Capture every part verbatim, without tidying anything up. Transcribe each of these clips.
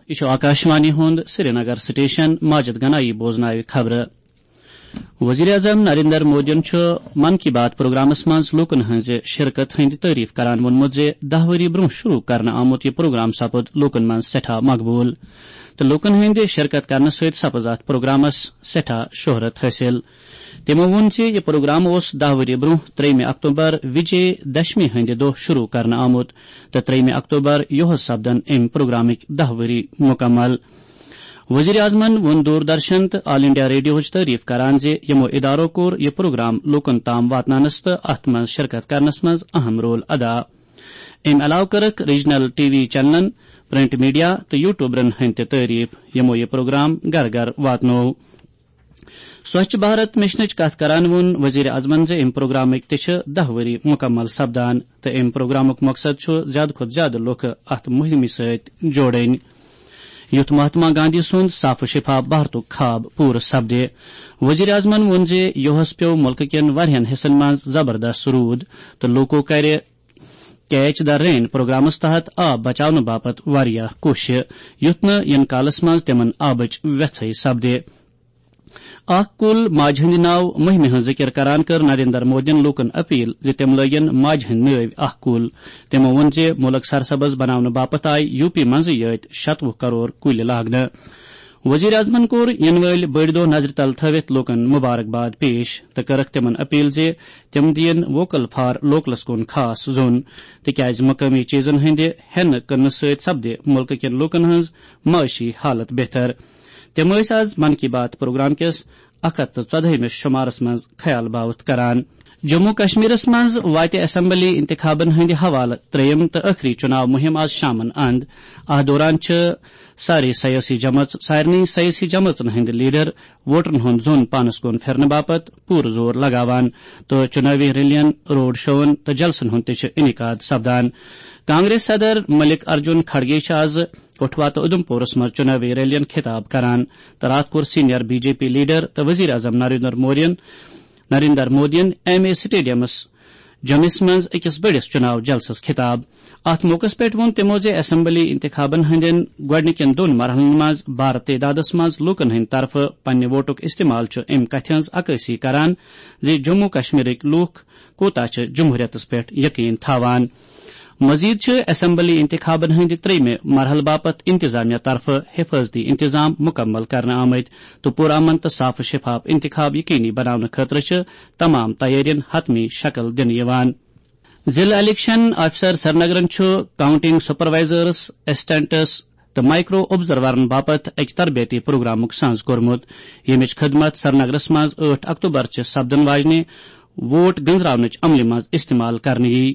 یہِ چھُ آکاشوانی ہُنٛد سرینگر سٹیشن۔ ماجد گنایی بوزناوِ خبرٕ۔ وزیر اعظم نریندر مودیَن چھُ من کی بات پروگرامس منٛز لوٗکن ہٕنٛزِ شرکت ہٕنٛدِ تعریف کران ووٚنمُت زِ دَہ ؤری برٛونٛہہ شروع کرنہٕ آمُت یہِ پروگرام سپُد لوٗکن منٛز سٮ۪ٹھاہ مقبوٗل تہٕ لوٗکن ہٕنٛدِ شرکت کرنہٕ سۭتۍ سپٕز اتھ پروگرامس سٮ۪ٹھاہ شہرت حٲصِل۔ تِمو ووٚن زِ یہِ پروگرام اوس دَہ ؤری برٛونٛہہ ترٛیٚیِمہِ اکتوبر وجے دشمی ہٕنٛدِ دۄہ شروع کرنہٕ آمُت تہٕ ترٛیٚیِمہِ اکتوبر یُہُس سپدن اَمہِ پروگرامٕکۍ دَہ ؤری مُکمل۔ وزیر اعظمن ووٚن دوردرشن تہٕ آل انڈیا ریڈیوہٕچ تعریف کران زِ یِمو ادارو کوٚر یہِ پروگرام لوٗکن تام واتناونس تہٕ اتھ منٛز شرکت کرنس منٛز اہم رول ادا۔ امہِ علاوٕ کٔرٕکھ ریجنل ٹی وی چینلن، پرنٹ میڈیا تہٕ یوٹیوبرن ہٕنٛدۍ تہِ تعریف، یِمو یہِ پروگرام گرٕ گرٕ واتنوو۔ سوچھ بھارت مشنٕچ کتھ کران ووٚن وزیر اعظمن زِ امہِ پروگرامٕکۍ تہِ چھِ دَہ ؤری مکمل سپدان تہٕ امہِ پروگرامُک مقصد چھُ زیادٕ کھۄتہٕ زیادٕ لوٗکھ اتھ مُہِمہِ سۭتۍ جوڑٕنۍ، یُتھ مہاتما گاندھی سُنٛد صاف و شفاف بھارتُک خواب پوٗرٕ سپدِ۔ وزیر اعظمن ووٚن زِ یُہُس پیوٚو مُلکہٕ کٮ۪ن واریاہن حصن منٛز زبردست روٗد تہٕ لوٗکو کرِ کیچ دی رین پروگرامس تحت آب بچاونہٕ باپتھ واریاہ کوٗشش، یُتھ نہٕ یِنہٕ کالس منٛز تِمن آبٕچ وٮ۪ژھٕے سپدِ۔ اکھ کُل ماجہِ ہٕنٛدِ ناو مُہِمہِ ہٕنٛز ذِکِر کران کٔر نریندر مودیَن لوٗکَن اپیل زِ تِم لٲگِن ماجہِ ہٕنٛدِ نٲوۍ اکھ کُل۔ تِمَو ووٚن زِ مُلک سرسبز بناونہٕ باپتھ آیہِ یوٗ پی منٛزٕے یٲتۍ شَتوُہ کرور کُلۍ لاگنہٕ۔ وزیر اعظمَن کوٚر یِنہٕ وٲلۍ بٔڑۍ دۄہ نظرِ تل تھٲوِتھ لوٗکَن مبارک باد پیش تہٕ کٔرٕکھ تِمَن اپیل زِ تِم دِیِن ووکل فار لوکلَس کُن خاص زوٚن، تِکیازِ مقٲمی چیزن ہٕنٛدِ ہٮ۪نہٕ کٕننہٕ سۭتۍ سپدِ مُلکہٕ کٮ۪ن لوٗکَن ہٕنٛز معاشی حالت بہتر۔ تِم ٲسۍ آز من کی بات پروگرام کِس اکھ ہتھ تہٕ ژۄدہٲیمِس شمارس منٛز خیال باوتھ کران۔ جموں کشمیرس منٛز واتہِ اسمبلی انتخابن ہٕنٛدِ حوالہٕ ترٛیٚیِم تہٕ ٲخری چُناو مُہِم آز شامن اند۔ اتھ دوران چھِ سارے سیٲسی جمٲژ-، سارنٕے سیٲسی جمٲژن ہٕنٛدۍ لیڈر ووٹرن ہُنٛد زوٚن پانس کُن پھِرنہٕ باپتھ پوٗرٕ زور لگاوان تہٕ چُنٲوی ریلین، روڈ شوون تہٕ جلسن ہُنٛد تہِ چھُ انعقاد سپدان۔ کانگریس صدر ملک ارجن کھڑگے چھِ آز کٹھوا تہٕ اُدھمپورس منٛز چُنٲوی ریلین خطاب کران تہٕ راتھ کوٚر senior B J P leader تہٕ وزیر اعظم نریندر مورین، نریندر مودین ایم اے سٹیڈیمس جوٚمِس منٛز أکِس بٔڑِس چُناو جلسس خطاب۔ اتھ موقعس پٮ۪ٹھ ووٚن تِمو زِ اسمبلی انتخابن ہٕنٛدٮ۪ن گۄڈٕنِکٮ۪ن دۄن مرحلن منٛز بھارٕ تعدادس منٛز لوٗکن ہٕنٛدِ طرفہٕ پننہِ ووٹُک استعمال چھُ امہِ کتھِ ہٕنٛز عکٲسی کران زِ جموں کشمیرٕکۍ لوٗکھ کوتاہ چھِ جمہوریتس پٮ۪ٹھ یقین تھاوان۔ مزید چھِ اسمبلی انتخابن ہٕنٛدِ ترٛیٚیمہِ مرحلہٕ باپتھ انتظامیہ طرفہٕ حفاظتی انتظام مکمل کرنہٕ آمٕتۍ تہٕ پرامن تہٕ صاف و شفاف انتخاب یقینی بناونہٕ خٲطرٕ چھِ تمام تیٲرین حتمی شکل دِنہٕ یِوان۔ ضلع الیکشن آفیسر سرینگرن چھُ کاؤنٹنگ سپروائزرز، اسسٹنٹس تہٕ مائیکرو آبزرورن باپتھ اَکہِ تربیتی پروگرامُک سنز کوٚرمُت، ییٚمِچ خدمت سرینگرس منٛز ٲٹھ اکتوبر چہِ سپدن واجنہِ ووٹ گنزراونٕچ عملہِ منٛز استعمال کرنہٕ یِیہِ۔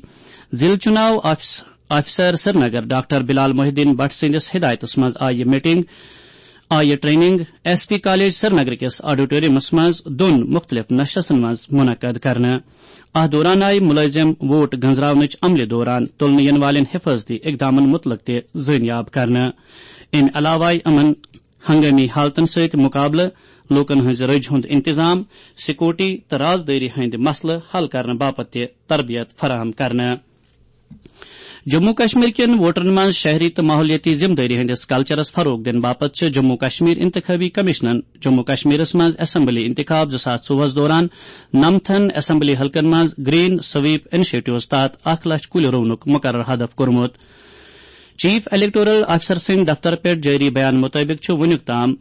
ضلع چُناو آفس-، آفیسر سرینگر ڈاکٹر بلال محی الدین بٹ سٕنٛدِس ہدایتس منٛز آیہِ یہِ میٹنگ، آیہِ training S P college Srinagar کِس آڈیٹورمس منٛز دۄن مُختٔلِف نشستن منٛز منعقد کرنہٕ۔ اتھ دوران آیہِ مُلٲزِم ووٹ گنزراونٕچ عملہِ دوران تُلنہٕ یِنہٕ والٮ۪ن حفاظتی اقدامن مُتعلق تہِ زٲنیاب کرنہٕ۔ امہِ علاوٕ آیہِ یِمن ہنگٲمی حالتن سۭتۍ مُقابلہٕ، لوٗکن ہٕنٛزِ رٔجہِ ہُنٛد انتظام، سیکورٹی تہٕ رازدٲری ہٕنٛدۍ مسلہٕ حل کرنہٕ باپتھ تہِ تربیت فراہم کرنہٕ۔ جموں کشمیر کٮ۪ن ووٹرن منٛز شہری تہٕ ماحولیٲتی ذمہٕ دٲری ہٕنٛدِس کلچرس فروغ دِنہٕ باپتھ چھِ جموں کشمیر انتخابی کمیشنن جموں کشمیرس منٛز اسمبلی انتخاب زٕ ساس ژوٚوُہس دوران نَمتھن اسمبلی حلقن منٛز گرین سویپ انیشیٹوز تحت اکھ لچھ کُلۍ رُونُک مقرر ہدف کوٚرمُت۔ چیف الیکٹورل آفیسر سٕنٛدِ دفتر پٮ۪ٹھ جٲری بیان مُطٲبِق چھُ وُنیُک تام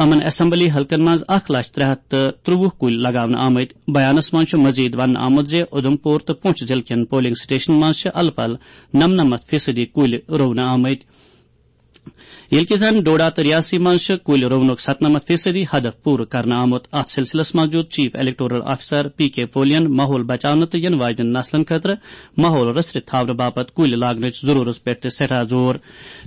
یِمَن اسمبلی حلقن منٛز اکھ لچھ ترٛےٚ ہتھ تہٕ ترٛوُہ کُلۍ لگاونہٕ آمٕتۍ۔ بیانَس منٛز چھُ مزید وننہٕ آمُت زِ اُدھمپور تہٕ پونچھ ضلعہٕ کٮ۪ن پولنگ سٹیشنن منٛز چھِ الہٕ پلہٕ نَمنَمَتھ فیصدی کُلۍ رُونہٕ آمٕتۍ، ییٚلہِ کہِ زن ڈوڈا تہٕ ریاسی منٛز چھِ کُلۍ رُونُک ستنَمَتھ فیصدی ہدف پوٗرٕ کرنہٕ آمُت۔ اتھ سلسلس منٛز دیُت چیف الیکٹورل آفیسر پی کے پولین ماحول بچاونہٕ تہٕ یِنہٕ واجنٮ۪ن نسلن خٲطرٕ ماحول رٔژھرِتھ تھاونہٕ باپتھ کُلۍ لاگنٕچ ضروٗرتس پٮ۪ٹھ تہِ سٮ۪ٹھاہ زور۔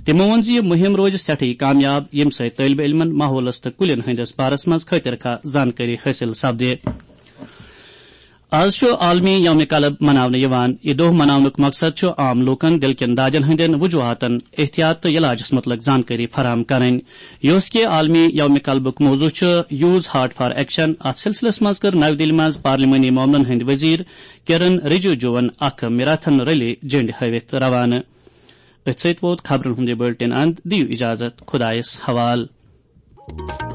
تِمو ووٚن زِ یہِ مُہِم روزِ سٮ۪ٹھٕے کامیاب، ییٚمہِ سۭتۍ طٲلبہِ علمن ماحولس تہٕ کُلٮ۪ن ہٕنٛدِس بارس منٛز خٲطرٕ خواہ زانکٲری حٲصِل سپدِ۔ آز چھُ عالمی یوم قلب مناونہٕ یِوان۔ یہِ دۄہ مناونُک مقصد چھُ عام لوٗکن دِل کٮ۪ن دادٮ۪ن ہٕنٛدٮ۪ن وجوہاتن، احتیاط تہٕ علاجس مُتعلق زانکٲری فراہم کرٕنۍ۔ یہِ اوس کہِ عالمی یوم قلبُک موضوع چھُ Use Heart for Action۔ اتھ سلسلس منٛز کٔر نَوِ دِلہِ منٛز پارلیمانی معاملن ہٕنٛدۍ وزیر کرن رجیجوَن اکھ میراتھن ریلی جنڈِ ہٲوِتھ روانہٕ۔ أتھۍ سۭتۍ ووت خبرن ہُنٛد یہِ بُلٹن اند۔ دِیِو اجازت، خۄدایس حوالہٕ۔